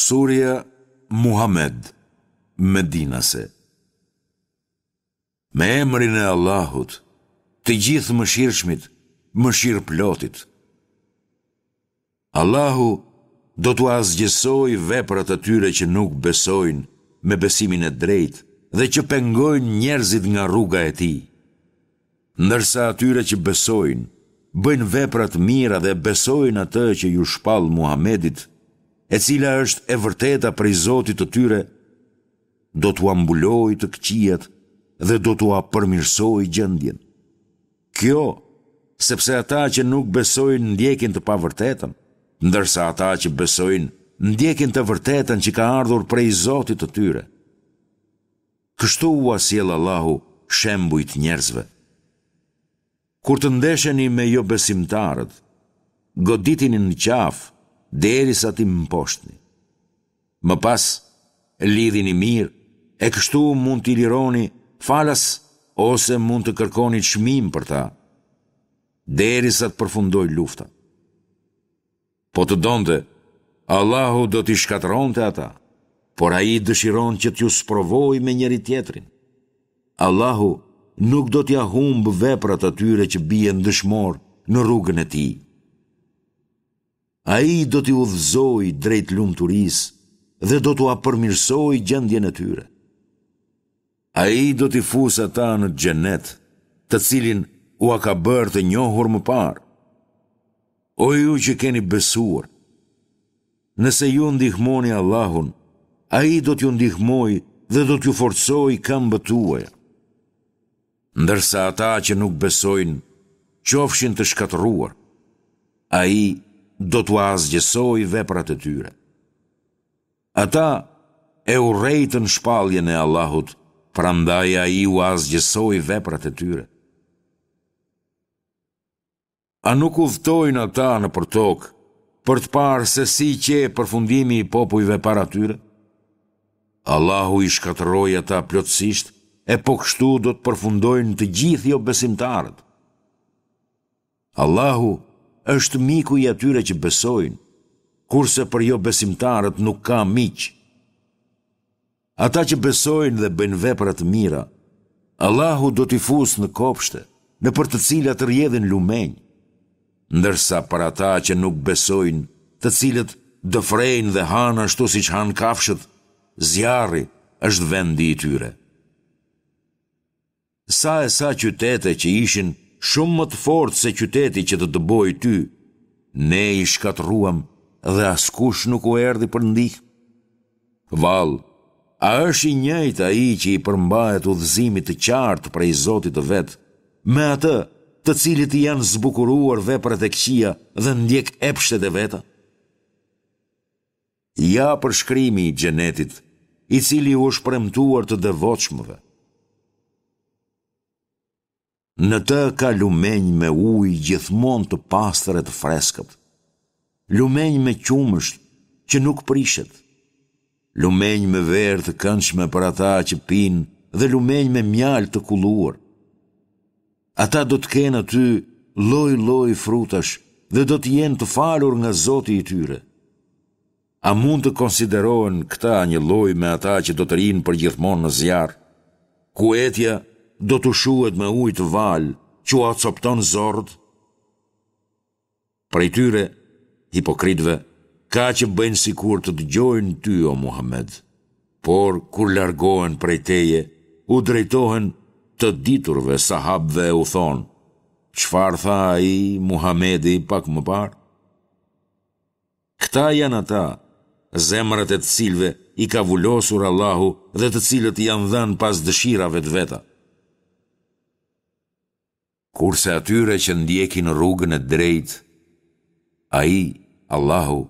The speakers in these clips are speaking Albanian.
Surja Muhammed, Medinase Me emrin e Allahut, të Gjithëmëshirshmit, Mëshirëplotit. Allahu do t'ua asgjësojë veprat atyre që nuk besojnë me besimin e drejtë dhe që pengojnë njerëzit nga rruga e Tij. Ndërsa atyre që besojnë, bëjnë vepra të mira dhe besojnë atë që iu shpall Muhamedit, e cila është e vërteta prej Zotit të tyre, do t'ua mbulojë të këqijat dhe do t'ua përmirësojë gjendjen. Kjo, sepse ata që nuk besojnë ndjekin të pavërtetën, ndërsa ata që besojnë ndjekin të vërtetën që ka ardhur prej Zotit të tyre. Kështu ua sjell Allahu shembujt njerëzve. Kur të ndesheni me jobesimtarët, goditini në qafë derisa t'i mposhtni. Më pas, lidhini mirë e kështu mund t'i lironi falas ose mund të kërkoni çmim për ta, derisa të përfundojë lufta. Po të donte, Allahu do t'i shkatërronte ata, por Ai dëshiron që t'ju sprovojë me njëri-tjetrin. Allahu nuk do t'ia humbë veprat atyre që bien dëshmorë në rrugën e Tij. Ai do t'i udhëzojë drejt lumturisë dhe do t'ua përmirësojë gjendjen e tyre. Ai do t'i fusë ata në xhenet, të cilin ua ka bërë të njohur më parë. O ju që keni besuar, nëse ju ndihmoni Allahun, Ai do t'ju ndihmojë dhe do t'ju forcojë këmbët tuaja. Ndërsa ata që nuk besojnë, qofshin të shkatërruar, Ai do t'ua asgjësojë veprat e tyre. Ata e urrejtën shpalljen e Allahut, prandaj Ai ua asgjësoi veprat e tyre. A nuk udhëtojnë ata nëpër tokë për të parë se si qe përfundimi i popujve para tyre? Allahu i shkatërroi ata plotësisht e po kështu do të përfundojnë të gjithë jobesimtarët. Allahu është miku i atyre që besojnë, kurse për jobesimtarët nuk ka miq. Ata që besojnë dhe bëjnë vepra të mira, Allahu do t'i fusë në kopshte, nëpër të cilat rrjedhin lumenj. Ndërsa për ata që nuk besojnë, të cilët dëfrejnë dhe hanë ashtu siç hanë kafshët, zjarri është vendi i tyre. Sa e sa qytete që ishin shumë më të fortë se qyteti që të dëboi ty, ne i shkatërruam dhe askush nuk u erdhi për ndihmë. Vallë, a është i njëjtë ai që i përmbahet udhëzimit të qartë prej Zotit të vet, me atë të cilit i janë zbukuruar veprat e këqija dhe ndjek epshet e veta? Ja përshkrimi i Xhenetit, i cili u është premtuar të devotshmëve. Në të ka lumenj me ujë gjithmonë të pastër e të freskët, lumenj me qumësht që nuk prishet, lumenj me verë të këndshme për ata që pinë dhe lumenj me mjaltë të kulluar. Ata do të kenë aty lloj-lloj frutash dhe do të jenë të falur nga Zoti i tyre. A mund të konsiderohen këta njëlloj me ata që do të rrinë përgjithmonë në zjarr, ku etja do t'u shuhet me ujë të valë që ua copëton zorrët? Prej tyre, hipokritëve, ka që bëjnë sikur të dëgjojnë ty, o Muhammed, por kur largohen prej teje, u drejtohen të diturve, sahabëve e u thonë, çfarë tha ai, Muhammedi, pak më parë? Këta janë ata, zemrat e të cilëve i ka vulosur Allahu dhe të cilët janë dhënë pas dëshirave të veta. Kurse atyre që ndjekin rrugën e drejtë, Ai, Allahu,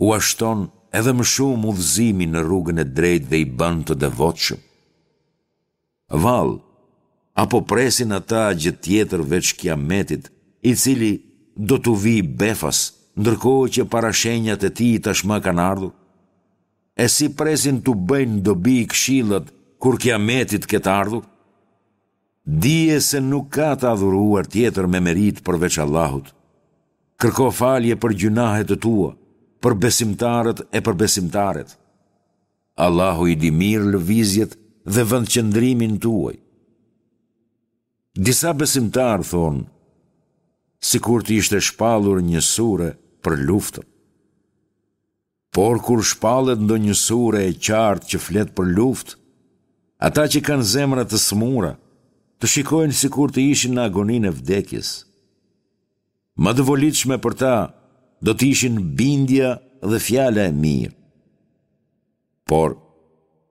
ua shton edhe më shumë udhëzimin në rrugën e drejtë dhe i bën të devotshëm. Vallë, a po presin ata gjë tjetër veç Kiametit, i cili do t'u vijë befas, ndërkohë që parashenjat e tij tashmë kanë ardhur? E si presin t'u bëjnë dobi këshillat kur Kiameti të ketë ardhur? Dije se nuk ka të adhuruar tjetër me meritë përveç Allahut. Kërko falje për gjynahet e tua. për besimtarët e për besimtaret. Allahu i di mirë lëvizjet dhe vendqëndrimin tuaj. Disa besimtarë thonë, sikur të ishte shpallur një sure për luftën. Por kur shpallet ndonjë sure e qartë që flet për luftë, ata që kanë zemra të sëmura, të shikojnë sikur të ishin në agoninë e vdekjes. Më të volitshme për ta do të ishin bindja dhe fjala e mirë. Por,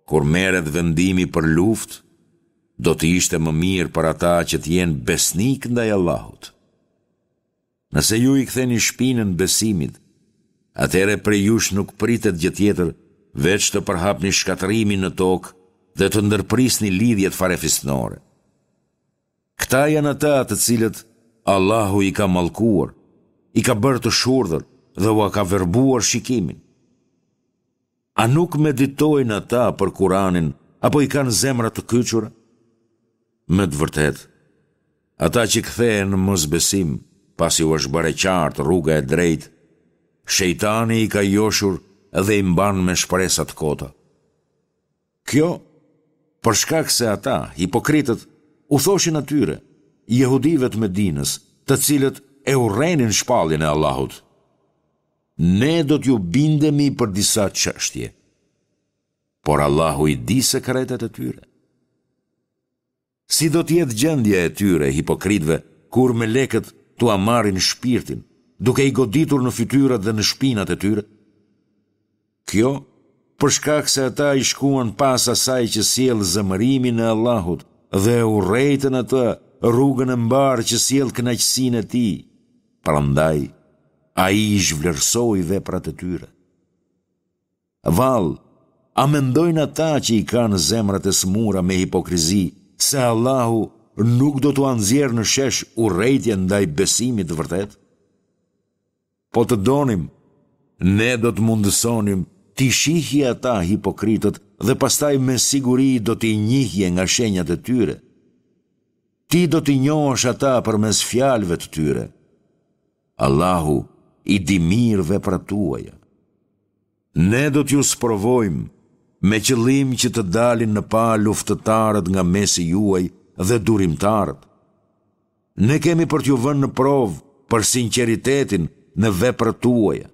kur merret vendimi për luftë, do të ishte më mirë për ata që të jenë besnikë ndaj Allahut. Nëse ju i ktheni shpinën besimit, atëherë prej jush nuk pritet gjë tjetër veç të përhapni shkatërrimin në tokë dhe të ndërprisni lidhjet farefisnore. Këta janë ata të cilët Allahu i ka mallkuar, i ka bërë të shurdhër dhe ua ka verbuar shikimin. A nuk meditojnë ata për Kuranin apo i kanë zemrat të kyçura? Me të vërtetë, ata që kthehen në mosbesim, pasi u është bërë e qartë rruga e drejtë, shejtani i ka joshur dhe i mban me shpresa të kota. Kjo, për shkak se ata, hipokritët, u thoshin atyre, jehudive të Medinës, të cilët e urrenin shpalljen e Allahut. Ne do t'ju bindemi për disa çështje. Por Allahu i di sekretet e tyre. Si do të jetë gjendja e tyre, hipokritëve, kur melekët t'ua marrin shpirtin, duke i goditur në fytyrat dhe në shpinat e tyre? Kjo, për shkak se ata i shkuan pas asaj që sjell zemërimin e Allahut dhe e urrejtën atë rrugën e mbarë që sjell kënaqësinë e Tij. Prandaj, Ai i zhvlerësoi veprat e tyre. Vallë, a mendojnë ata që i kanë zemrat e sëmura me hipokrizi se Allahu nuk do t'ua nxjerrë në shesh urrejtjen ndaj besimit të vërtetë? Po të donim, ne do të mundësonim t'i shihje ata hipokritët dhe pastaj me siguri do t'i njihje nga shenjat e tyre. Ti do t'i njohësh ata përmes fjalëve të tyre. Allahu i di mirë veprat tuaja. Ne do t'ju sprovojmë me qëllim që të dalin në pah luftëtarët nga mesi juaj dhe durimtarët. Ne kemi për t'ju vënë në provë për sinqeritetin në veprat tuaja.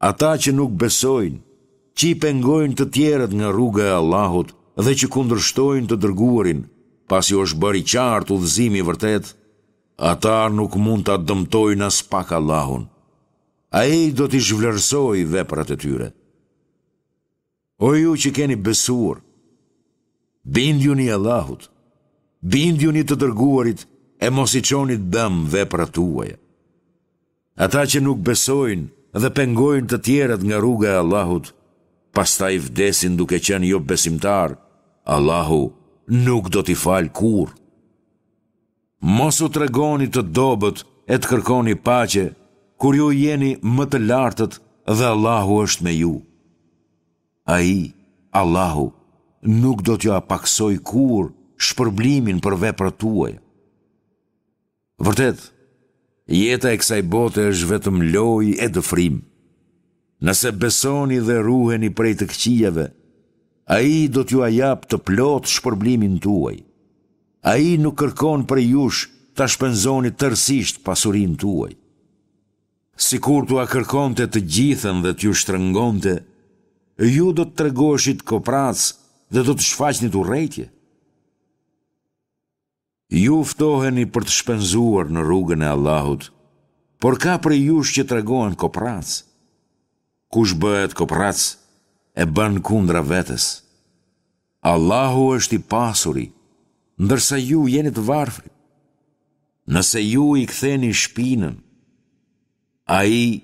Ata që nuk besojnë, që i pengojnë të tjerët nga rruga e Allahut dhe që kundërshtojnë të dërguarin, pasi u është bërë i qartë udhëzimi i vërtetë, ata nuk mund ta dëmtojnë aspak Allahun. Ai do t'i zhvlerësojë veprat e tyre. O ju që keni besuar, bindjuni Allahut, bindjuni të dërguarit e mos i çoni dëm veprat tuaja. Ata që nuk besojnë dhe pengojnë të tjerët nga rruga e Allahut, pastaj vdesin duke qenë jobesimtarë, Allahu nuk do t'i falë kurrë. Mos u tregoni të dobët e të kërkoni paqe, kur ju jeni më të lartët dhe Allahu është me ju. Ai, Allahu, nuk do t'jua pakësojë kurrë shpërblimin për veprat tuaja. Vërtet, jeta e kësaj bote është vetëm lojë e dëfrim. Nëse besoni dhe ruheni prej të këqijave, Ai do t'jua japë të plotë shpërblimin tuaj. Ai nuk kërkon prej jush ta shpenzoni tërësisht pasurinë tuaj. Sikur t'ua kërkonte të gjithën dhe t'ju shtrëngonte, ju do të tregoheshit koprracë dhe do të shfaqnit urrejtje. Ju ftoheni për të shpenzuar në rrugën e Allahut, por ka prej jush që tregohen koprracë. Kush bëhet koprrac, e bën kundra vetes. Allahu është i pasuri, ndërsa ju jeni të varfrit. Nëse ju i ktheni shpinën, Ai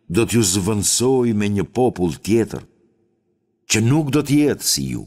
do t'ju zëvendësojë me një popull tjetër, që nuk do të jetë si ju.